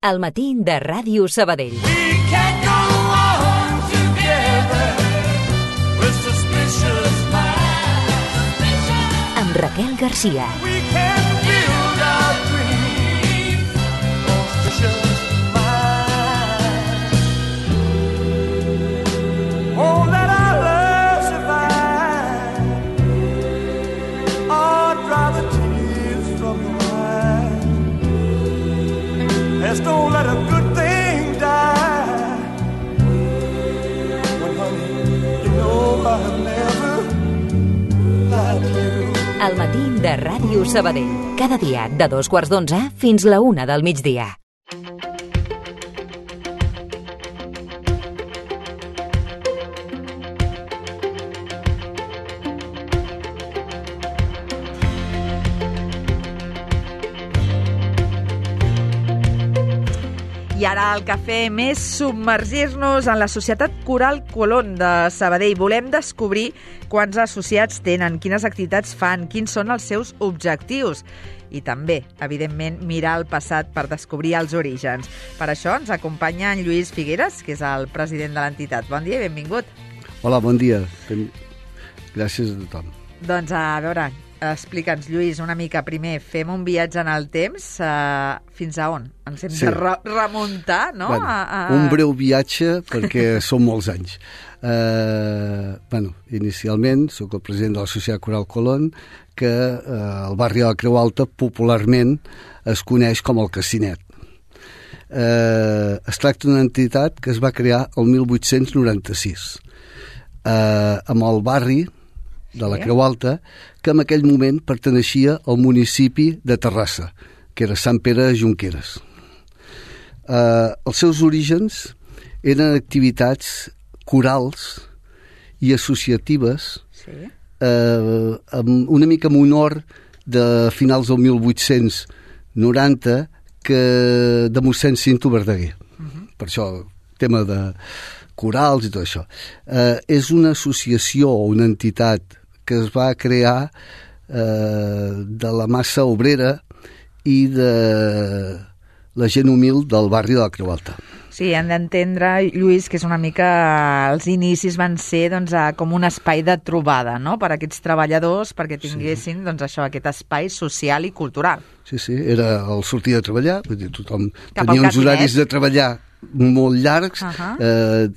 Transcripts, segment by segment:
Al matí de Ràdio Sabadell. Amb Raquel Garcia. Don't let a good thing die. When honey, you know I've never lied to you. Al matí de Ràdio Sabadell. Cada dia de 2:15 fins la 1 del migdia. I ara el que fem és submergir-nos en la Societat Coral Colón de Sabadell. Volem descobrir quants associats tenen, quines activitats fan, quins són els seus objectius i també, evidentment, mirar el passat per descobrir els orígens. Per això ens acompanya en Lluís Figueres, que és el president de l'entitat. Bon dia i benvingut. Hola, bon dia. Gràcies a tothom. Doncs a veure, explica'ns, Lluís, una mica primer. Fem un viatge en el temps. Fins a on? Ens hem de remuntar, no? Bueno, un breu viatge, perquè són molts anys. Inicialment, sóc el president de la Societat Coral Colón, que al barri de la Creu Alta popularment es coneix com el Cassinet. Es tracta d'una entitat que es va crear el 1896 amb el barri de la Creu Alta, que en aquell moment perteneixia al municipi de Terrassa, que era Sant Pere de Jonqueres. Els seus orígens eren activitats corals i associatives, una mica en honor de finals del 1890 de mossèn Cinto Verdaguer. Per això el tema de corals i tot això. És una associació o una entitat que es va crear de la massa obrera i de la gent humil del barri de la Creu Alta. Sí, hem d'entendre, Lluís, que és una mica... Els inicis van ser com un espai de trobada, no?, per a aquests treballadors, perquè tinguessin aquest espai social i cultural. Sí, era el sortir de treballar, vull dir, tothom tenia uns horaris de treballar molt llargs,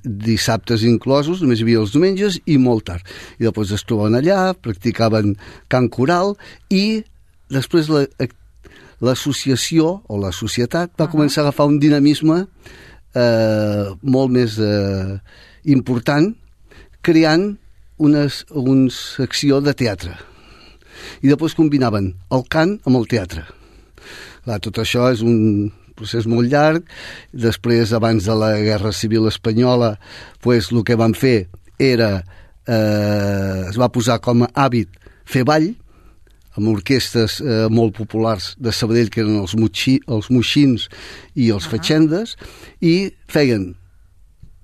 dissabtes inclosos, només hi havia els diumenges i molt tard. I després es trobaven allà, practicaven cant coral i després l'associació o la societat va començar a agafar un dinamisme molt més important, creant una secció de teatre. I després combinaven el cant amb el teatre. Clar, tot això és un procés molt llarg. Després, abans de la Guerra Civil Espanyola, el que van fer era es va posar com a hàbit fer ball amb orquestres molt populars de Sabadell, que eren els moixins i els fatxendes, i feien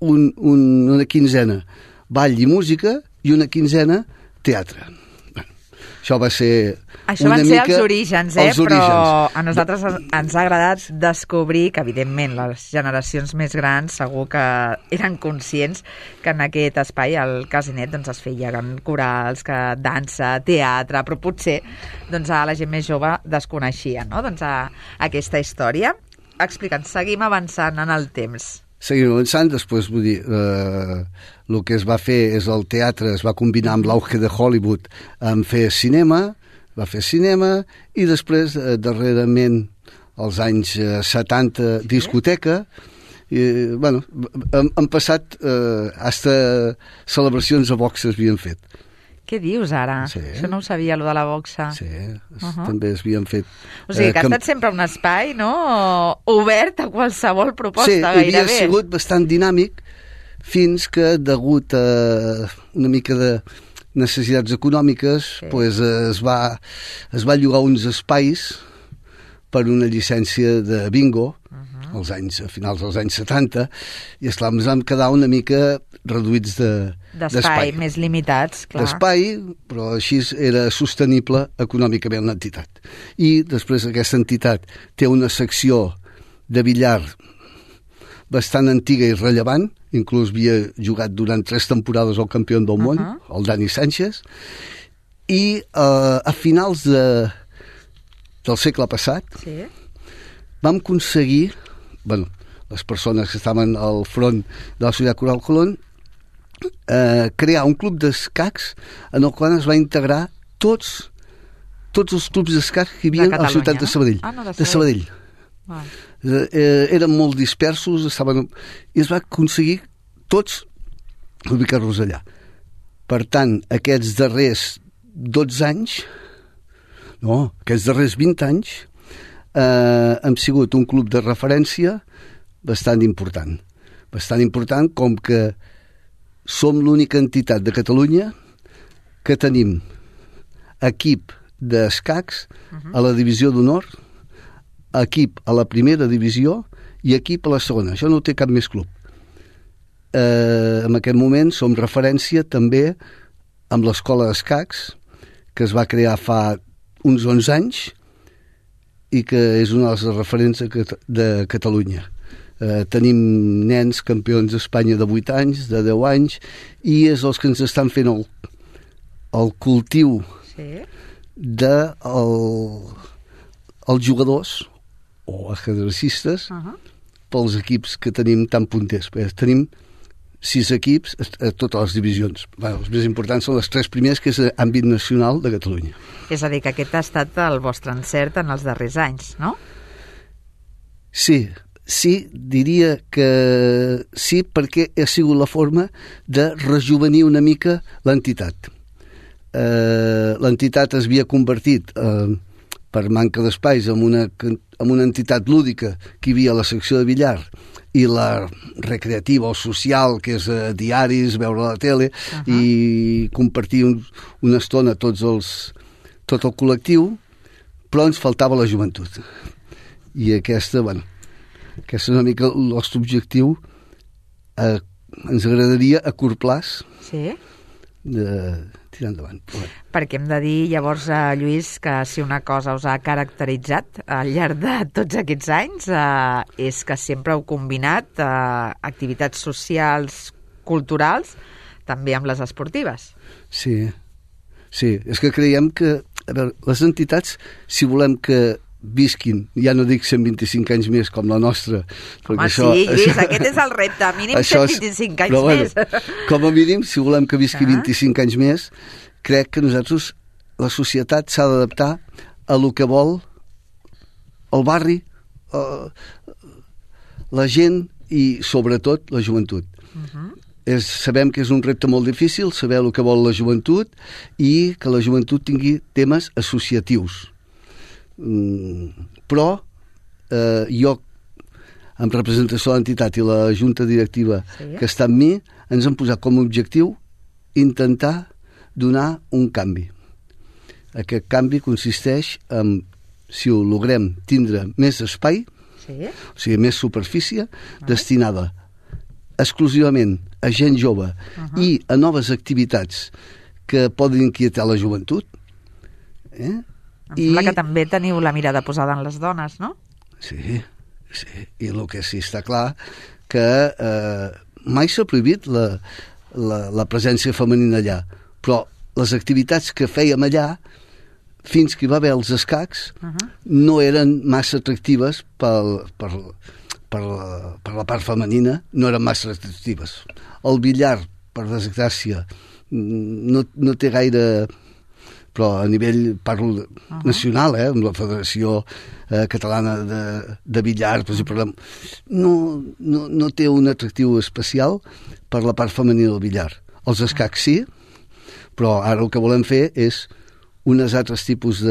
una quinzena ball i música i una quinzena teatre. Això va ser una mica... els orígens, però a nosaltres ens ha agradat descobrir que, evidentment, les generacions més grans segur que eren conscients que en aquest espai, al Cassinet, es feien corals, que dansa, teatre, però potser a la gent més jove desconeixia, no?, aquesta història. Explica'ns, seguim avançant en el temps. Seguim avançant, després, vull dir, el que es va fer és el teatre, es va combinar amb l'auge de Hollywood amb fer cinema, va fer cinema, i després, darrerament, als anys 70, discoteca, i, han passat, hasta celebracions a boxa s'havien fet. Què dius ara? Sí. Això no ho sabia, allò de la boxa. Sí, també s'havien fet. O sigui, que ha estat sempre un espai, no?, obert a qualsevol proposta, gairebé. Sí, havia sigut bastant dinàmic fins que, degut a una mica de necessitats econòmiques, es va llogar uns espais per una llicència de bingo, a finals dels anys 70, i esclar, ens vam quedar una mica reduïts d'espai, més limitats, clar. D'espai, però així era sostenible econòmicament l'entitat. I després aquesta entitat té una secció de billar bastant antiga i rellevant, inclús havia jugat durant 3 temporades al campió del món, el Dani Sánchez, i a finals del segle passat vam aconseguir, les persones que estaven al front de la Societat Coral Colón, crear un club d'escacs en el qual es va integrar tots els clubs d'escacs que hi havia a la ciutat de Sabadell. De Sabadell. Eren molt dispersos, i es va aconseguir tots ubicar-los allà. Per tant, aquests darrers 12 anys, aquests darrers 20 anys, hem sigut un club de referència bastant important. Bastant important, com que som l'única entitat de Catalunya que tenim equip d'escacs a la divisió d'honor, equip a la primera divisió i equip a la segona. Això no ho té cap més club. En aquest moment som referència també amb l'escola d'escacs, que es va crear fa uns 11 anys i que és una de les referents de Catalunya. Tenim nens campions d'Espanya de 8 anys, de 10 anys, i és els que ens estan fent el cultiu dels jugadors o ajedrecistes pels equips que tenim tan punters. Tenim 6 equips a totes les divisions. Els més importants són les 3 primers, que és l'àmbit nacional de Catalunya. És a dir, que aquest ha estat el vostre encert en els darrers anys, no? Sí, diria que sí, perquè ha sigut la forma de rejuvenir una mica l'entitat. L'entitat es havia convertit, per manca d'espais, en una entitat lúdica que hi havia a la secció de billar i la recreativa o social, que és diaris, veure la tele i compartir una estona tot el col·lectiu, però ens faltava la joventut. I aquesta és una mica el nostre objectiu. Ens agradaria a curt plaç de tirar endavant. Perquè hem de dir, llavors, Lluís, que si una cosa us ha caracteritzat al llarg de tots aquests anys és que sempre heu combinat activitats socials, culturals, també amb les esportives. Sí, és que creiem que, a veure, les entitats, si volem que visquin, ja no dic 125 anys més com la nostra. Home, Lluís, aquest és el repte, mínim 125 anys més. Com a mínim, si volem que visqui 25 anys més, crec que nosaltres, la societat s'ha d'adaptar a lo que vol el barri, la gent i, sobretot, la joventut. Sabem que és un repte molt difícil, saber el que vol la joventut i que la joventut tingui temes associatius. Però jo, en representació de l'entitat i la junta directiva que està amb mi, ens hem posat com a objectiu intentar donar un canvi. Aquest canvi consisteix en, si ho logrem, tindre més espai, o sigui, més superfície, destinada exclusivament a gent jove i a noves activitats que poden inquietar la joventut. Em sembla que també teniu la mirada posada en les dones, no? Sí, i el que sí està clar que mai s'ha prohibit la presència femenina allà, però les activitats que fèiem allà, fins que hi va haver els escacs, no eren massa atractives per la part femenina, no eren massa atractives. El billar, per desgràcia, no té gaire... però a nivell, parlo nacional, amb la Federació Catalana de Billar, per exemple, no té un atractiu especial per la part femenina del billar. Els escacs sí, però ara el que volem fer és uns altres tipus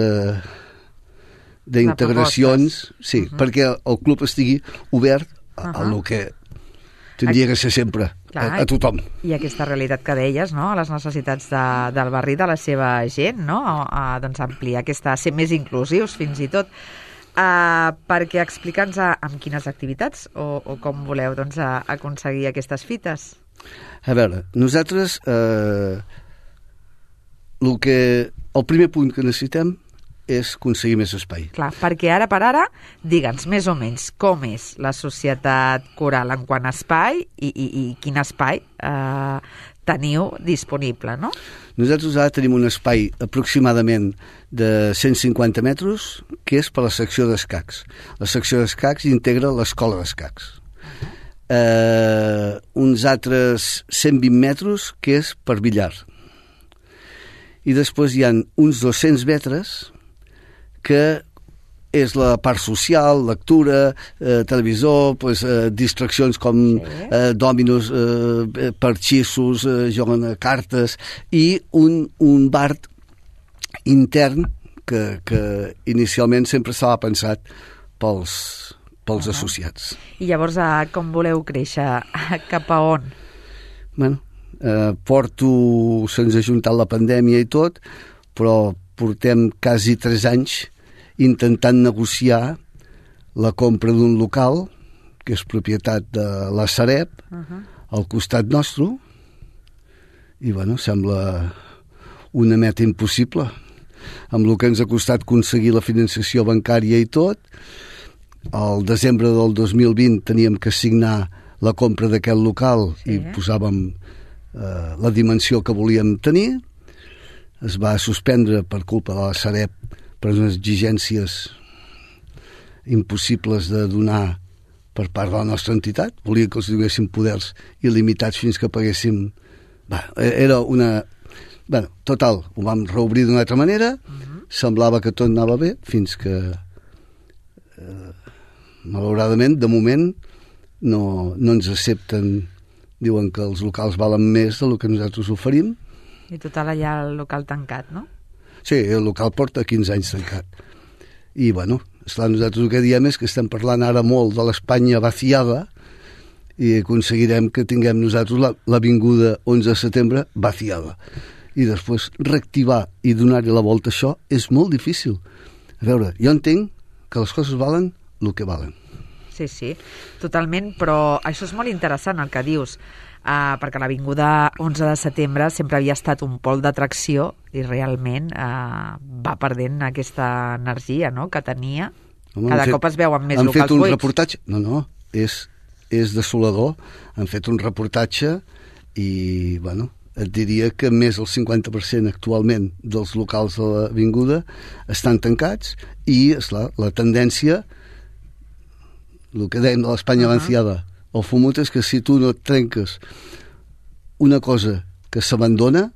d'integracions, perquè el club estigui obert a lo que tindria que ser sempre, a tothom. I aquesta realitat que deies, no?, a les necessitats del barri, de la seva gent, no?, doncs ampliar ser més inclusius fins i tot. Perquè explica'ns amb quines activitats o com voleu aconseguir aquestes fites. A veure, nosaltres el primer punt que necessitem és aconseguir més espai. Clar, perquè ara per ara, digue'ns més o menys com és la Societat Coral en quant a espai i quin espai teniu disponible, no? Nosaltres ara tenim un espai aproximadament de 150 metres, que és per la secció d'escacs. La secció d'escacs integra l'escola d'escacs. Uns altres 120 metres, que és per billar. I després hi ha uns 200 metres, que és la part social, lectura, televisor, distraccions com dòminos, parxissos, juguen a cartes, i un bar intern que inicialment sempre estava pensat pels associats. I llavors, com voleu créixer? Cap a on? Bueno, se'ns ha juntat la pandèmia i tot, però portem quasi 3 anys intentant negociar la compra d'un local, que és propietat de la Sareb, al costat nostre, i bueno, sembla una meta impossible. Amb el que ens ha costat aconseguir la finançació bancària i tot, al desembre del 2020 teníem que signar la compra d'aquest local i posàvem la dimensió que volíem tenir. Es va suspendre per culpa de la Sareb per unes exigències impossibles de donar per part de la nostra entitat. Volia que els donessin poders il·limitats fins que paguéssim... Era una... Total, ho vam reobrir d'una altra manera, semblava que tot anava bé, fins que malauradament, de moment, no ens accepten. Diuen que els locals valen més del que nosaltres oferim. I total, allà el local tancat, no? Sí, el local porta 15 anys tancat. I, bueno, esclar, nosaltres el que diem és que estem parlant ara molt de l'Espanya vaciada i aconseguirem que tinguem nosaltres l'avinguda 11 de setembre vaciada. I després reactivar i donar-hi la volta a això és molt difícil. A veure, jo entenc que les coses valen el que valen. Sí, totalment, però això és molt interessant el que dius, perquè l'Avinguda 11 de setembre sempre havia estat un pol d'atracció i realment va perdent aquesta energia, no?, que tenia. Cada cop es veuen més locals buits. Han fet un reportatge... No, és desolador. Han fet un reportatge i, bueno, et diria que més del 50% actualment dels locals de l'Avinguda estan tancats i, esclar, la tendència, el que dèiem de l'Espanya vaciada, el fumut és que si tu no et trenques una cosa que s'abandona,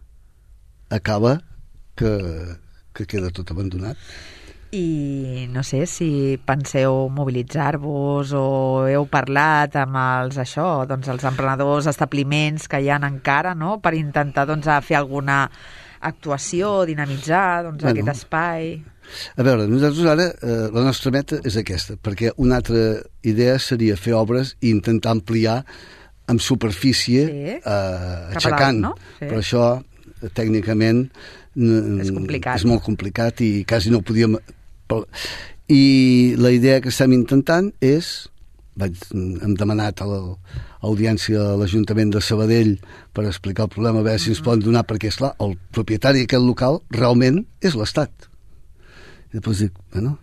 acaba que queda tot abandonat. I no sé si penseu mobilitzar-vos o heu parlat amb els emprenedors, establiments que hi ha encara, no?, per intentar fer alguna actuació, dinamitzar aquest espai. A veure, nosaltres ara la nostra meta és aquesta, perquè una altra idea seria fer obres i intentar ampliar amb superfície aixecant, no? Però això tècnicament és molt complicat i quasi no ho podíem... I la idea que estem intentant és... Hem demanat a l'audiència de l'Ajuntament de Sabadell per explicar el problema, a veure si ens poden donar, perquè, esclar, el propietari d'aquest local realment és l'Estat. I després dic, bueno,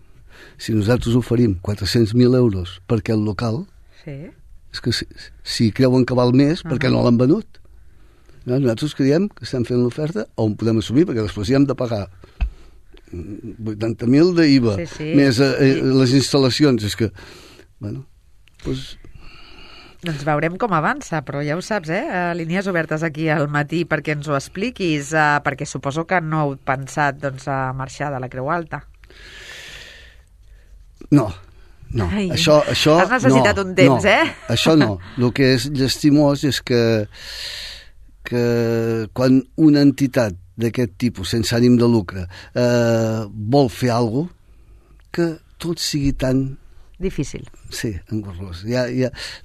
si nosaltres oferim 400.000 euros per aquest local, és que si creuen que val més, per què no l'han venut? Nosaltres creiem que estem fent l'oferta on podem assumir, perquè després hi hem de pagar 80.000 d'IVA, més les instal·lacions. És que, bueno, doncs veurem com avança, però ja ho saps, línies obertes aquí al matí perquè ens ho expliquis, perquè suposo que no heu pensat a marxar de la Creu Alta. No. Ai, això has necessitat un temps, Això no. El que és llastimós és que quan una entitat d'aquest tipus, sense ànim de lucre, vol fer alguna cosa, que tot sigui tan difícil. Sí, engorrós.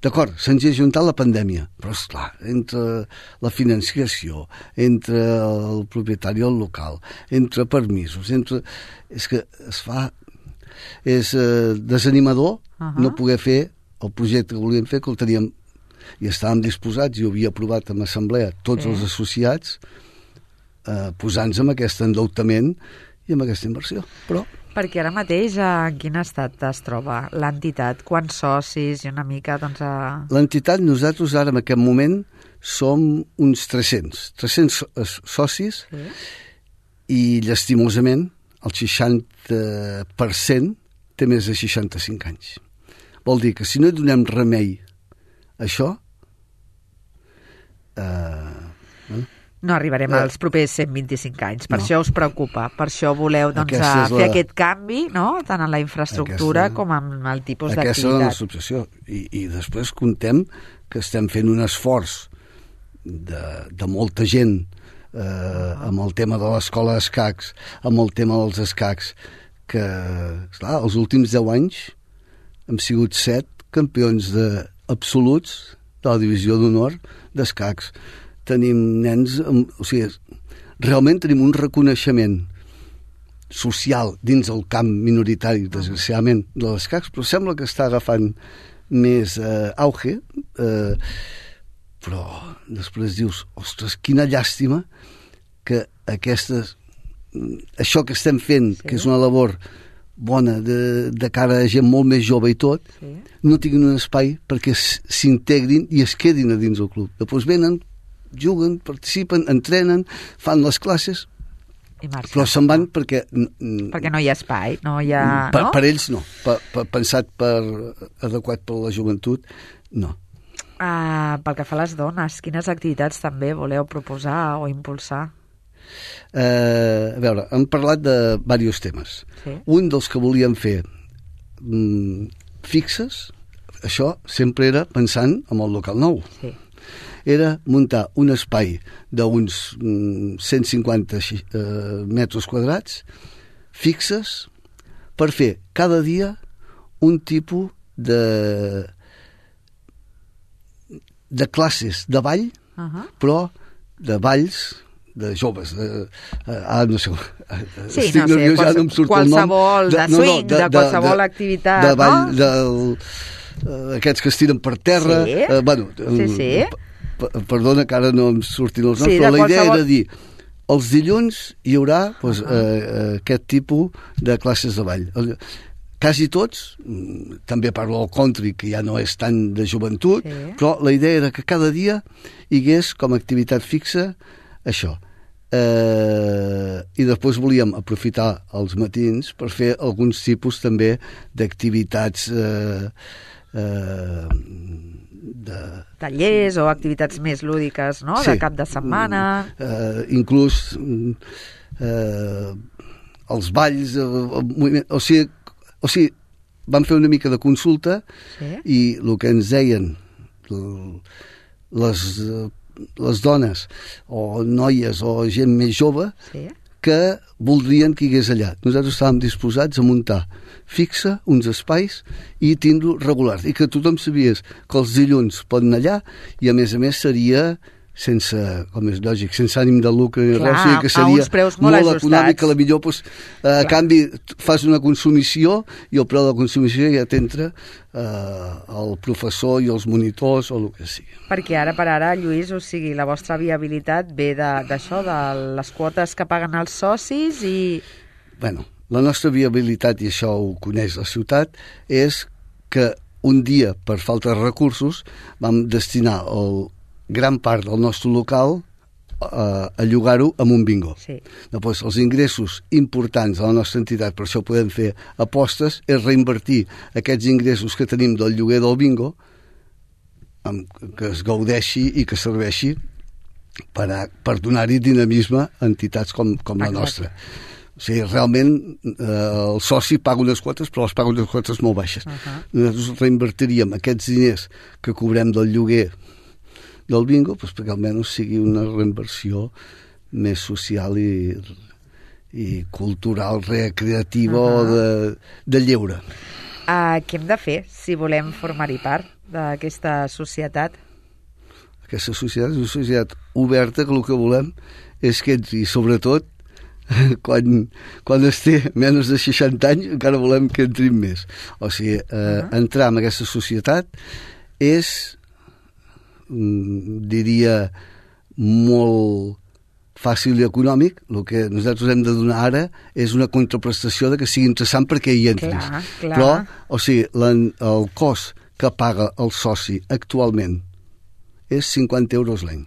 D'acord, se'ns ha juntat la pandèmia, però esclar, entre la financiació, entre el propietari del local, entre permisos, és que es fa... És desanimador no poder fer el projecte que volíem fer, que el teníem i estàvem disposats i ho havia aprovat en assemblea tots els associats posant-nos amb aquest endeutament i amb aquesta inversió, però Perquè ara mateix en quin estat es troba l'entitat? Quants socis i una mica, doncs... L'entitat, nosaltres ara en aquest moment som uns 300 socis, sí. I llastimosament el 60% té més de 65 anys. Vol dir que si no hi donem remei a això, no arribarem als propers 125 anys. Per això us preocupa, per això voleu fer aquest canvi, no? Tant en la infraestructura com en el tipus d'activitat. Aquesta és la nostra obsessió. I després contem que estem fent un esforç de molta gent amb el tema de l'escola d'escacs, amb el tema dels escacs, que, esclar, els últims 10 anys hem sigut 7 campions absoluts de la divisió d'honor d'escacs. Tenim nens, o sigui, realment tenim un reconeixement social dins el camp minoritari, desgraciadament, de l'escacs, però sembla que està agafant més auge, però després dius, ostres, quina llàstima que això que estem fent, sí. Que és una labor bona de cara a gent molt més jove i tot, sí. No tinguin un espai perquè s'integrin i es quedin a dins del club. Després venen, juguen, participen, entrenen, fan les classes, però se'n van perquè no hi ha espai, no hi ha... Per ells no, pensat adequat per la joventut, no. Pel que fa a les dones, quines activitats també voleu proposar o impulsar? A veure, hem parlat de diversos temes. Sí. Un dels que volíem fer fixes, això sempre era pensant en el local nou. Sí. Era muntar un espai d'uns 150 metres quadrats fixes per fer cada dia un tipus de classes de ball, però de balls de joves, no sé, estic nerviós, ja no em surt el nom. Qualsevol, de swing, de qualsevol activitat, de ball, aquests que es tiren per terra. Sí, sí. Perdona que ara no em surtin els noms, però la idea era dir, els dilluns hi haurà aquest tipus de classes de ball. Quasi tots, també parlo del country, que ja no és tant de joventut, sí. Però la idea era que cada dia hi hagués com a activitat fixa això. I després volíem aprofitar els matins per fer alguns tipus també d'activitats tallers o activitats més lúdiques, no? Sí. De cap de setmana. Inclús els balls, o sigui, vam fer una mica de consulta, sí. I el que ens deien les dones o noies o gent més jove, sí. Que voldrien que hi hagués allà. Nosaltres estàvem disposats a muntar fixa uns espais i tindre-ho regular, i que tothom sabies que els dilluns poden anar allà, i a més seria sense, com és lògic, sense ànim de lucre ni res, que seria molt econòmic, que millor a canvi fas una consumició i el preu de la consumició ja t'entra el professor i els monitors o el que sigui. Perquè ara per ara, Lluís, o sigui, la vostra viabilitat ve d'això, de les quotes que paguen els socis i... Bueno, la nostra viabilitat, i això ho coneix la ciutat, és que un dia, per falta de recursos, vam destinar gran part del nostre local a llogar-ho amb un bingo. Sí. Després, els ingressos importants de la nostra entitat, per això podem fer apostes, és reinvertir aquests ingressos que tenim del lloguer del bingo, que es gaudeixi i que serveixi per donar-hi dinamisme a entitats com la nostra. O sigui, realment el soci paga unes quotes, però les paga unes quotes molt baixes. Nosaltres reinvertiríem aquests diners que cobrem del lloguer del bingo, doncs perquè almenys sigui una reinversió més social i cultural, recreativa o de lleure. Què hem de fer si volem formar-hi part d'aquesta societat? Aquesta societat és una societat oberta, que el que volem és que entri, sobretot quan es té menys de 60 anys, encara volem que entrin més. O sigui, entrar en aquesta societat és, diria, molt fàcil i econòmic, el que nosaltres hem de donar ara és una contraprestació de que sigui interessant perquè hi entris. Clar. Però, o sigui, el cost que paga el soci actualment és 50 euros l'any.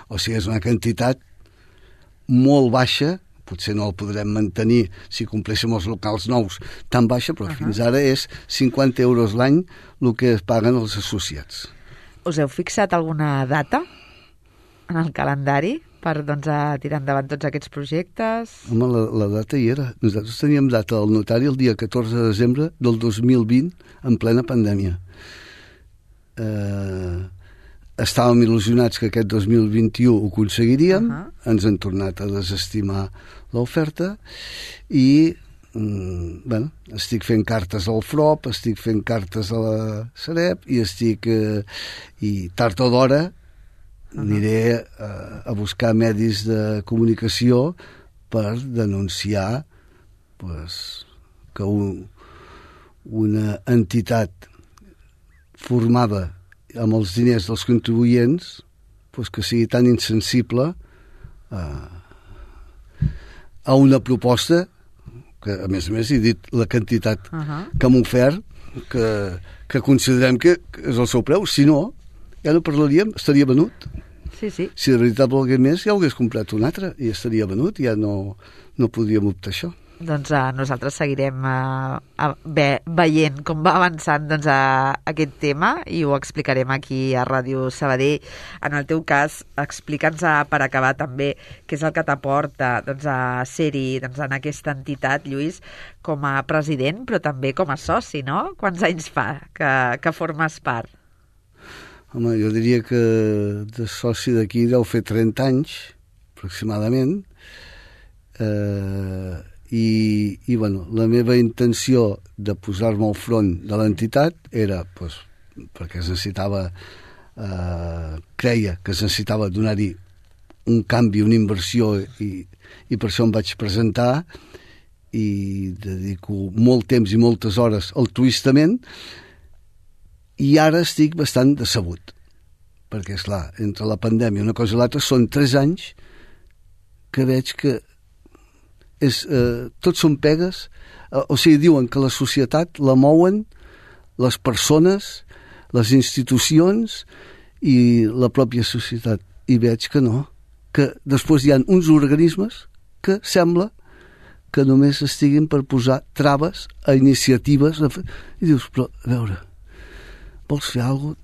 O sigui, és una quantitat molt baixa, potser no el podrem mantenir si compleixem els locals nous tan baixa, però fins ara és 50 euros l'any el que es paguen els associats. Us heu fixat alguna data en el calendari per tirar endavant tots aquests projectes? Home, la data hi era. Nosaltres teníem data al notari el dia 14 de desembre del 2020 en plena pandèmia. Estàvem il·lusionats que aquest 2021 ho aconseguiríem, ens han tornat a desestimar l'oferta i estic fent cartes al FROP, estic fent cartes a la Sareb i tard o d'hora aniré a buscar medis de comunicació per denunciar que una entitat formada amb els diners dels contribuents que sigui tan insensible a una proposta que, a més he dit la quantitat que m'ha ofert, que considerem que és el seu preu. Si no, ja no parlaríem, estaria venut. Sí. Si de veritat volgués més, ja ho hagués comprat un altre i estaria venut, ja no podríem optar això. Doncs nosaltres seguirem veient com va avançant aquest tema i ho explicarem aquí a Ràdio Sabadell. En el teu cas, explica'ns per acabar també què és el que t'aporta a ser-hi en aquesta entitat, Lluís, com a president, però també com a soci, no? Quants anys fa que formes part? Home, jo diria que de soci d'aquí deu fer 30 anys, aproximadament, i la meva intenció de posar-me al front de l'entitat era perquè es necessitava creia que es necessitava donar-hi un canvi, una inversió i per això em vaig presentar i dedico molt temps i moltes hores altruistament i ara estic bastant decebut perquè, esclar, entre la pandèmia una cosa i l'altra són 3 anys que veig que tots són pegues, o sigui, diuen que la societat la mouen les persones, les institucions i la pròpia societat, i veig que no, que després hi ha uns organismes que sembla que només estiguin per posar traves a iniciatives i dius, però a veure, vols fer alguna cosa?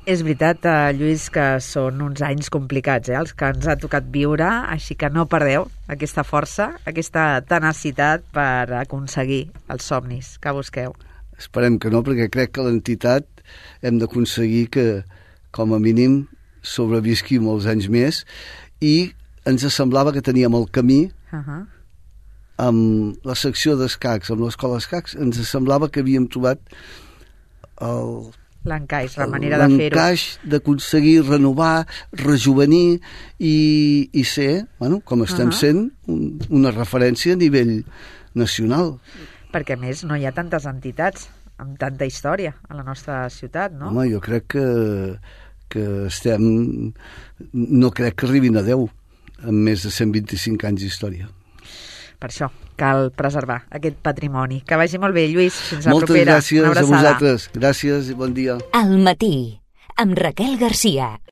És veritat, Lluís, que són uns anys complicats, els que ens ha tocat viure, així que no perdeu aquesta força, aquesta tenacitat per aconseguir els somnis que busqueu. Esperem que no, perquè crec que l'entitat hem d'aconseguir que, com a mínim, sobrevisqui molts anys més i ens semblava que teníem el camí amb la secció d'escacs, amb l'escola d'escacs, ens semblava que havíem trobat l'encaix, la manera de fer-ho. L'encaix d'aconseguir renovar, rejuvenir i ser, com estem sent, una referència a nivell nacional. Perquè, a més, no hi ha tantes entitats amb tanta història a la nostra ciutat, no? Home, jo crec que estem... No crec que arribin a 10, amb més de 125 anys d'història. Per això cal preservar aquest patrimoni. Que vagi molt bé, Lluís. Fins la propera. Moltes gràcies a vosaltres. Gràcies i bon dia. Al matí, amb Raquel Garcia.